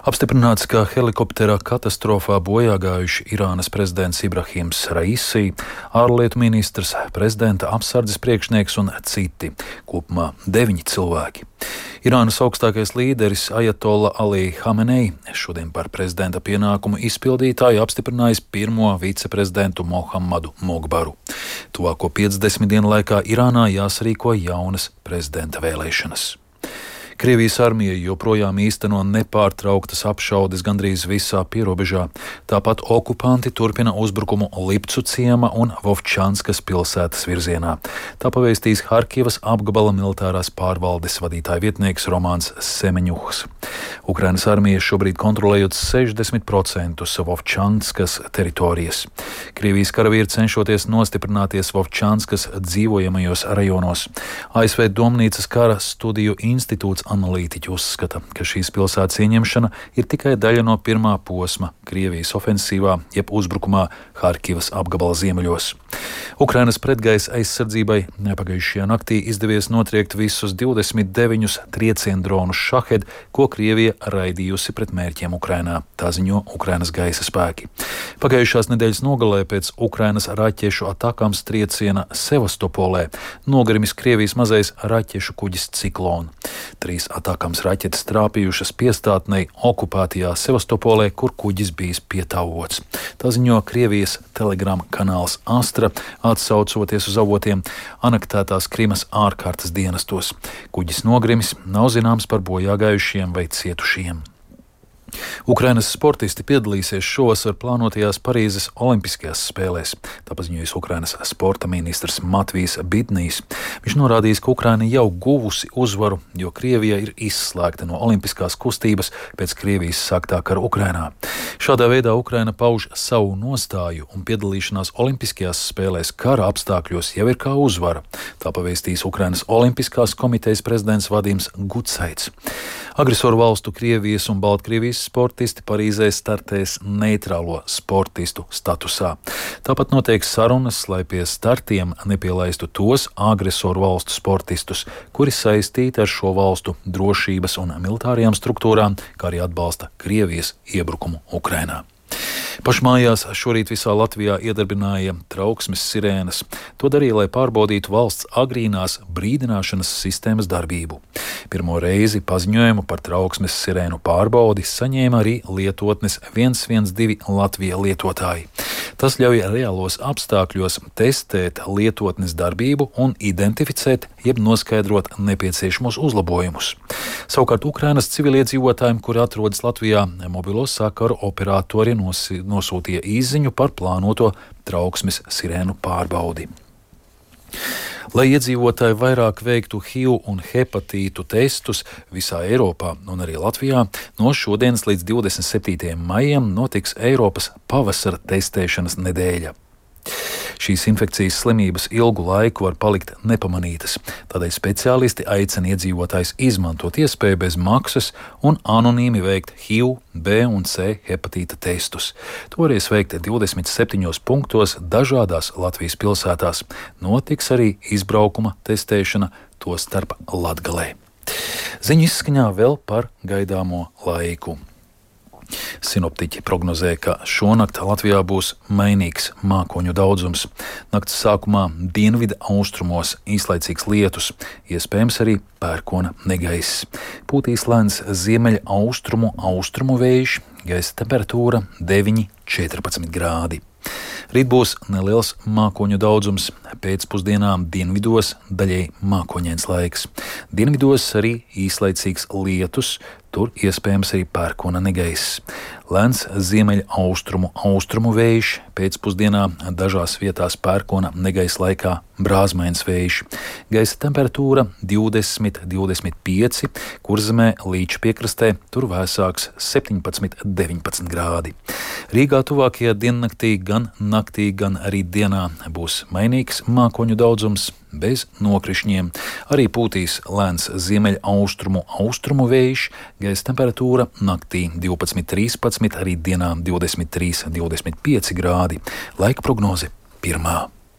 Apstiprināts, ka helikoptera katastrofā bojāgājuši Irānas prezidents Ibrahims Raisi, ārlietu ministrs, prezidenta apsardzes priekšnieks un citi, kopumā 9 cilvēki. Irānas augstākais līderis Ajatolla Ali Hamenei šodien par prezidenta pienākumu izpildītāju apstiprinājis pirmo viceprezidentu Mohammadu Mogbaru. Tuvāko 50 dienu laikā Irānā jāsarīko jaunas prezidenta vēlēšanas. Krievijas armija joprojām īsteno nepārtrauktas apšaudes gandrīz visā pierobežā. Tāpat okupanti turpina uzbrukumu Lipcu ciema un Vovčanskas pilsētas virzienā. Tā pavēstīs Harkivas apgabala militārās pārvaldes vadītāja vietnieks Romāns Semeņuhs. Ukrainas armija šobrīd kontrolējot 60% Vovčanskas teritorijas. Krievijas karavīri cenšoties nostiprināties Vovčanskas dzīvojamajos rajonos. ASV Domnīcas kara studiju institūts analītiķi uzskata, ka šīs pilsētas ieņemšana ir tikai daļa no pirmā posma Krievijas ofensīvā, jeb uzbrukumā Harkivas apgabala ziemeļos. Ukrainas pretgaisa aizsardzībai pagājušajā naktī izdevies notriekt visus 29 trieciendronus Šahed, ko Krievija raidījusi pret mērķiem Ukrainā, tā ziņo Ukrainas gaisa spēki. Pagājušās nedēļas nogalē pēc Ukrainas raķešu atakām trieciena Sevastopolē nogrimis Krievijas mazais raķešu kuģis Ciklon. 3 atakams raķetes trāpījušas piestātnei okupētajā Sevastopolē, kur kuģis bijis pietāvots. Tā ziņo Krievijas telegrama kanāls Astra, atsaucoties uz avotiem anektētās Krimas ārkārtas dienestos. Kuģis nogrimis, nav zināms par bojāgājušiem vai cietušiem. Ukrainas sportisti piedalīsies šovasar plānotajās Parīzes olimpiskajās spēlēs, tā paziņojas Ukrainas sporta ministrs Matvijs Bidnijs. Viņš norādījis, ka Ukraina jau guvusi uzvaru, jo Krievija ir izslēgta no olimpiskās kustības pēc Krievijas sāktā kara Ukrainā. Šādā veidā Ukraina pauž savu nostāju un piedalīšanās olimpiskajās spēlēs kara apstākļos jau ir kā uzvara. Tā pavēstīs Ukrainas olimpiskās komitejas prezidents Vadims Gudsaits. Agresoru valstu Krievijas un Baltkrievijas sportisti Parīzē startēs neitrālo sportistu statusā. Tāpat notiek sarunas, lai pie startiem nepielaistu tos agresoru valstu sportistus, kuri saistīti ar šo valstu drošības un militārajām struktūrām, kā arī atbalsta Krievijas iebrukumu Ukrainā. Pašmājās šorīt visā Latvijā iedarbināja trauksmes sirēnas. To darīja, lai pārbaudītu valsts agrīnās brīdināšanas sistēmas darbību. Pirmo reizi paziņojumu par trauksmes sirēnu pārbaudi saņēma arī lietotnes 112 Latvija lietotāji. Tas ļauj reālos apstākļos testēt lietotnes darbību un identificēt, jeb noskaidrot nepieciešamos uzlabojumus. Savukārt Ukrainas civiliedzīvotājiem, kuri atrodas Latvijā, mobilo sakaru operatori nosūtīja īsziņu par plānoto trauksmes sirēnu pārbaudi. Lai iedzīvotāji vairāk veiktu HIV un hepatītu testus visā Eiropā un arī Latvijā, no šodienas līdz 27. maijam notiks Eiropas pavasara testēšanas nedēļa. Šīs infekcijas slimības ilgu laiku var palikt nepamanītas, tādēļ speciālisti aicina iedzīvotājus izmantot iespēju bez maksas un anonīmi veikt HIV, B un C hepatīta testus. To varēs veikt 27 punktos dažādās Latvijas pilsētās. Notiks arī izbraukuma testēšana, tostarp Latgalē. Ziņu izskaņā vēl par gaidāmo laiku. Sinoptiķi prognozē, ka šonakt Latvijā būs mainīgs mākoņu daudzums. Nakts sākumā dienvidu austrumos īslaicīgs lietus, iespējams arī pērkona negaiss. Pūtīs lēns ziemeļa austrumu vējš, gaisa temperatūra 9–14 grādi. Rīt būs neliels mākoņu daudzums, pēcpusdienā dienvidos daļēji mākoņains laiks. Dienvidos arī īslaicīgs lietus, tur iespējams arī pērkona negaiss. Lēns ziemeļa austrumu vējš, pēcpusdienā dažās vietās pērkona negaiss laikā brāzmains vējš. Gaisa temperatūra 20–25, Kurzemē līča piekrastē, tur vēsāks 17–19 grādi. Rīgā tuvākajā diennaktī gan naktī, gan arī dienā būs mainīgs mākoņu daudzums bez nokrišņiem. Arī pūtīs lēns ziemeļa austrumu vējš, gaisa temperatūra naktī 12–13, arī dienā 23–25 grādi. Laika prognoze 1.